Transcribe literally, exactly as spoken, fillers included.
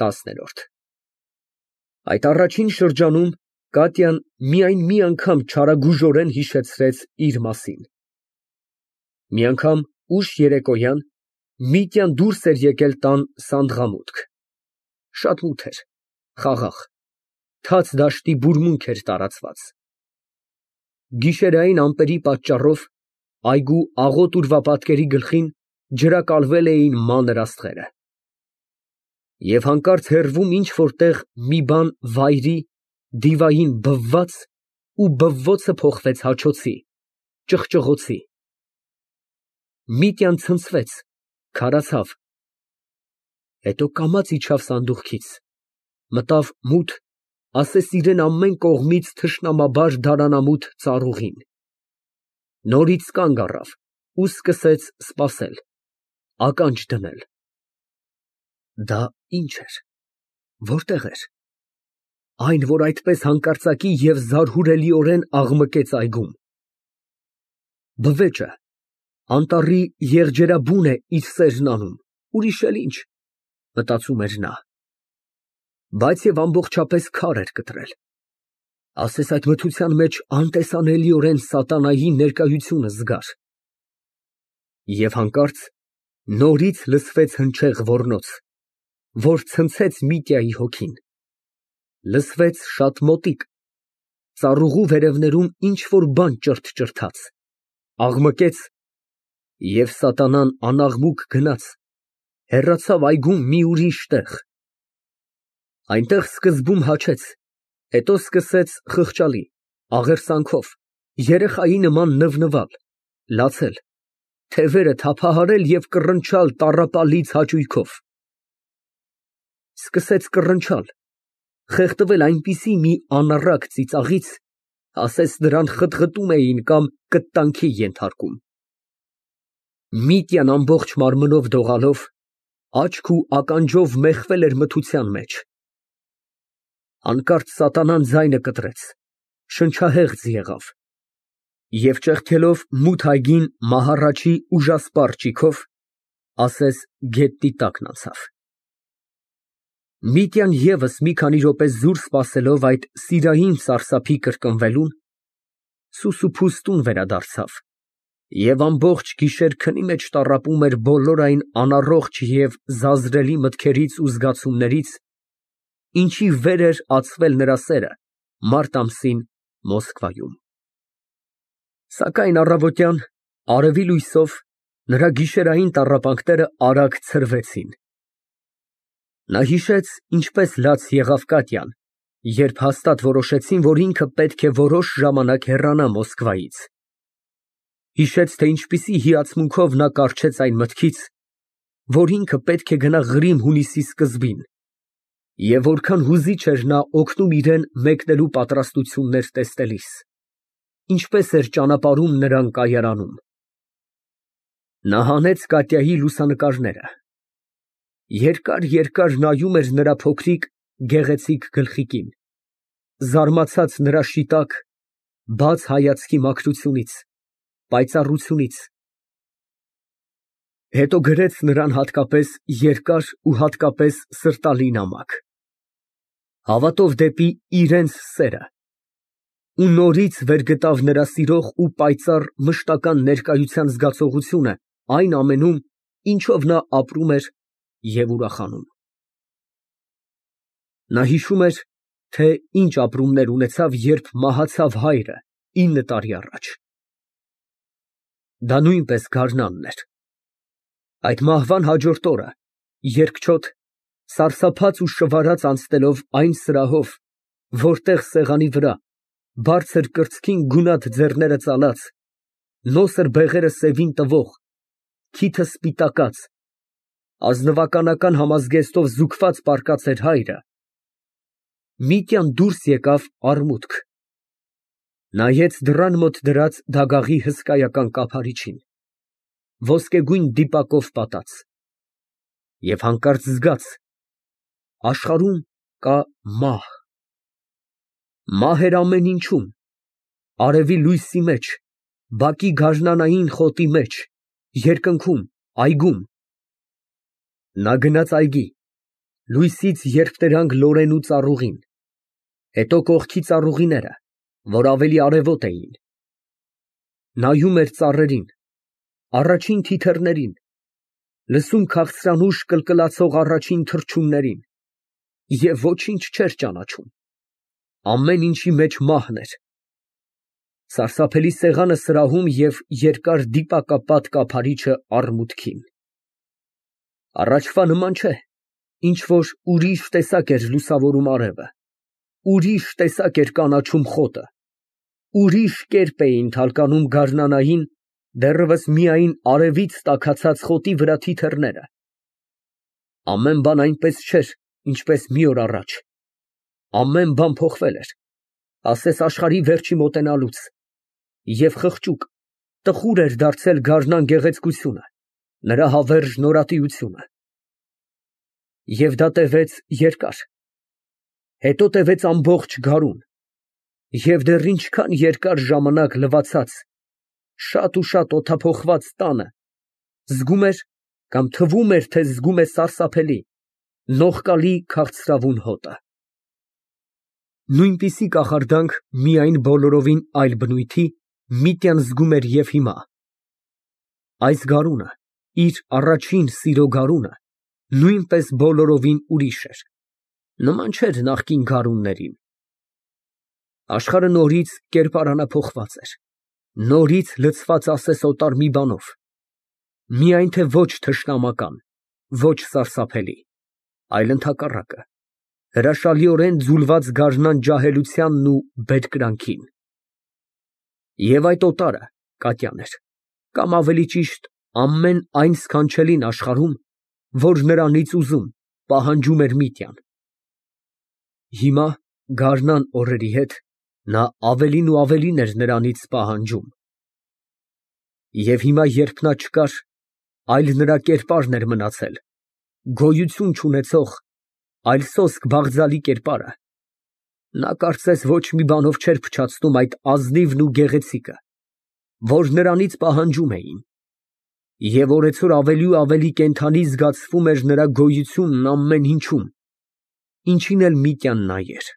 տասներորդ Այդ առաջին շրջանում Կատյան միայն մի անգամ չարագուժորեն հիշեցրեց իր մասին. մի անգամ ուշ երեկոյան Միտյան դուրս էր եկել տան սանդղամուտք, շատ մութ էր, խաղաղ, թաց դաշտի բուրմունք էր տարածված, գիշերային ամպերի պատճառով այգու աղոտ ուրվապատկերի գլխին ջրակալվել էին մանր աստղերը, և հանկարծ հեռվում ինչ֊որ տեղ մի բան վայրի, դիվային բվաց ու բվոցը փոխվեց հաչոցի, ճղճղոցի, Միտյան ցնցվեց, քարացավ, հետո կամաց իջավ սանդուղքից, մտավ մութ, ասես իրան ամեն կողմից թշնամաբար դարանամութ ծառուղին, նորից կանգ առավ ու սկսեց սպասել, ականջ դնել, դա ի՞նչ էր, որտե՞ղ էր, այն, որ այդպես հանկարծակի և զարհուրելիորեն աղմկեց այգում, բվեճը, անտառի եղջերաբուն է իր սերն անում, ուրիշ էլ ինչ, մտածում էր նա, բայց և ամբողջապես քար էր կտրել, ասես այդ մթության մեջ անտեսանելիորեն սատանայի ներկայությունը զգար, և հանկարծ նորից լսվեց հնչեղ ոռնոց, որ ցնցեց Միտյայի հոգին, լսվեց շատ մոտիկ, ծառուղու վերևներում ինչ֊որ բան ճրթ֊ճրթաց, աղմկեց և սատանան անաղմուկ գնաց, հեռացավ այգում մի ուրիշ տեղ, այնտեղ սկզբում հաչեց, հետո սկսեց խղճալի, աղերսանքով, երեխայի նման նվնվալ, լացել, թևերը թափահարել և կռնչալ տառապալից հաճույքով, սկսեց կռնչալ, խեղդվել այնպիսի մի անառակ ծիծաղից, ասես նրան խտղտում էին կամ կտտանքի ենթարկում, Միտյան ամբողջ մարմնով դողալով, աչք ու ականջով մեխվել էր մթության մեջ, հանկարծ սատանան ձայնը կտրեց, շնչահեղձ եղավ և ճեղքելով մութ այգին մահառաչի ուժասպառ ճիգով, ասես գետնի տակն անցավ, Միտյան ևս մի քանի րոպե զուր սպասելով այդ սիրային սարսափի կրկնվելուն, սուսուփուստուն վերադարձավ և ամբողջ գիշեր քնի մեջ տառապում էր բոլոր այն անառողջ և զազրելի մտքերից ու զգացումներից, ինչի վեր էր ածվել նրա սերը մարտ ամսին Մոսկվայում, սակայն առավոտյան, արևի լույսով, նրա գիշերային տառապանքները արագ ցրվեցին, նա հիշեց, ինչպես լաց եղավ Կատյան, երբ հաստատ որոշեցին, որ ինքը պետք է որոշ ժամանակ հեռանա Մոսկվայից, հիշեց, թե ինչպիսի հիացմունքով նա կառչեց այն մտքից, որ ինքը պետք է գնա Ղրիմ հունիսի սկզբին, և որքան հուզիչ էր նա օգնում իրան մեկնելու պատրաստություններ տեսնելիս, ինչպես էր ճանապարհում նրան կայարանում, նա հանեց Կատյայի լուսանկարները, երկար֊երկար նայում էր նրա փոքրիկ, գեղեցիկ գլխիկին, զարմացած նրա շիտակ, բաց հայացքի մաքրությունից, պայծառությունից, հետո գրեց նրան հատկապես երկար ու հատկապես սրտալի նամակ, հավատով դեպի իրենց սերը, ու նորից վեր գտավ նրա սիրող ու պայծառ մշտական ներկայության զգացողությունը այն ամենում, ինչով նա ապրում էր և ուրախանում, նա հիշում էր, թե ինչ ապրումներ ունեցավ, երբ մահացավ հայրը ինը տարի առաջ, դա նույնպես գարնանն էր, այդ մահվան հաջորդ օրը, երկչոտ, սարսափած ու շվարած անցնելով այն սրահով, որտեղ սեղանի վրա, բարձր կրծքին գունատ ձեռները ծալած, նոսր բեղերը սևին տվող, քիթը սպիտակած, ազնվականական համազգեստով զուգված պառկած էր հայրը, Միտյան դուրս եկավ արմուտք, նայեց դռան մոտ դրած դագաղի հսկայական կափարիչին, ոսկեգույն դիպակով պատած, և հանկարծ զգաց. աշխարհում կա մահ, մահ էր ամեն ինչում, արևի լույսի մեջ, բակի գարնանային խոտի մեջ, երկնքում, այգում, նա գնաց այգի, Լույսից երբ դրանք լորեն ու ծառուղին, հետո կողքի ծառուղիները, որ ավելի արևոտ էին, նայում էր ծառերին, առաջին թիթեռներին, լսում քաղցրանուշ կլկլացող առաջին թռչուններին և ոչինչ չէր ճանաչում, ամեն ինչի մեջ մահն էր, սարսափելի սեղանը սրահում և երկար դիպակապատ կափարիչը առմուտքին, առաջվա նման չէ, ինչ֊որ ուրիշ տեսակ էր լուսավորում արևը, ուրիշ տեսակ էր կանաչում խոտը, ուրիշ կերպ էին թալկանում գարնանային, դեռևս միայն արևից տաքացած խոտի վրա թիթեռները, ամեն բան այնպես չէր, ինչպես մի օր առաջ, ամեն բան փոխվել էր, ասես աշխարհի վերջի մոտենալուց, և խղճուկ, տխուր էր դարձել գարնան գեղեցկությունը, նրա հավերժ նորատիությունը, և դա տևեց երկար, հետո տևեց ամբողջ գարուն, և դեռ ինչքան երկար ժամանակ լվացած, շատ ու շատ օդափոխված տանը, զգում էր կամ թվում էր, թե զգում է սարսափելի, նողկալի քաղցրավուն հոտը։ Նույնպիսի կախարդանք միայն բոլորովին այլ բնույթի Միտյան զգում էր և հիմա։ Այս գարունը, իր առաջին սիրո գարունը, նույնպես բոլորովին ուրիշ էր, նման չէր նախկին գարուններին։ Աշխարհը նորից կերպարանափոխված էր, նորից լցված ասես օտար մի բանով, միայն թե ոչ թշնամական, ոչ սարսափելի, այլ ընդհակառակը, հրաշալիորեն ձուլված գարնան ջահելությանն ու բերկրանքին։ Եվ այդ օտարը Կատյան էր, կամ ավելի ճիշտ ամեն այն սքանչելին աշխարհում, որ նրանից ուզում, պահանջում էր Միտյան։ Հիմա գարնան օրերի հետ նա ավելին ու ավելին էր նրանից պահանջում։ Եվ հիմա, երբ նա չկար, այլ նրա կերպարն էր մնացել, գոյություն չունեցող, այլ սոսկ բաղձալի կերպարը, նա կարծես ոչ մի բանով չէր փչացնում այդ ազնիվն ու գեղեցիկը, որ նրանից պահանջում էին, և օրեցօր ավելի ու ավելի կենդանի զգացվում էր նրա գոյությունն ամեն ինչում, ինչին էլ Միտյան նայեր։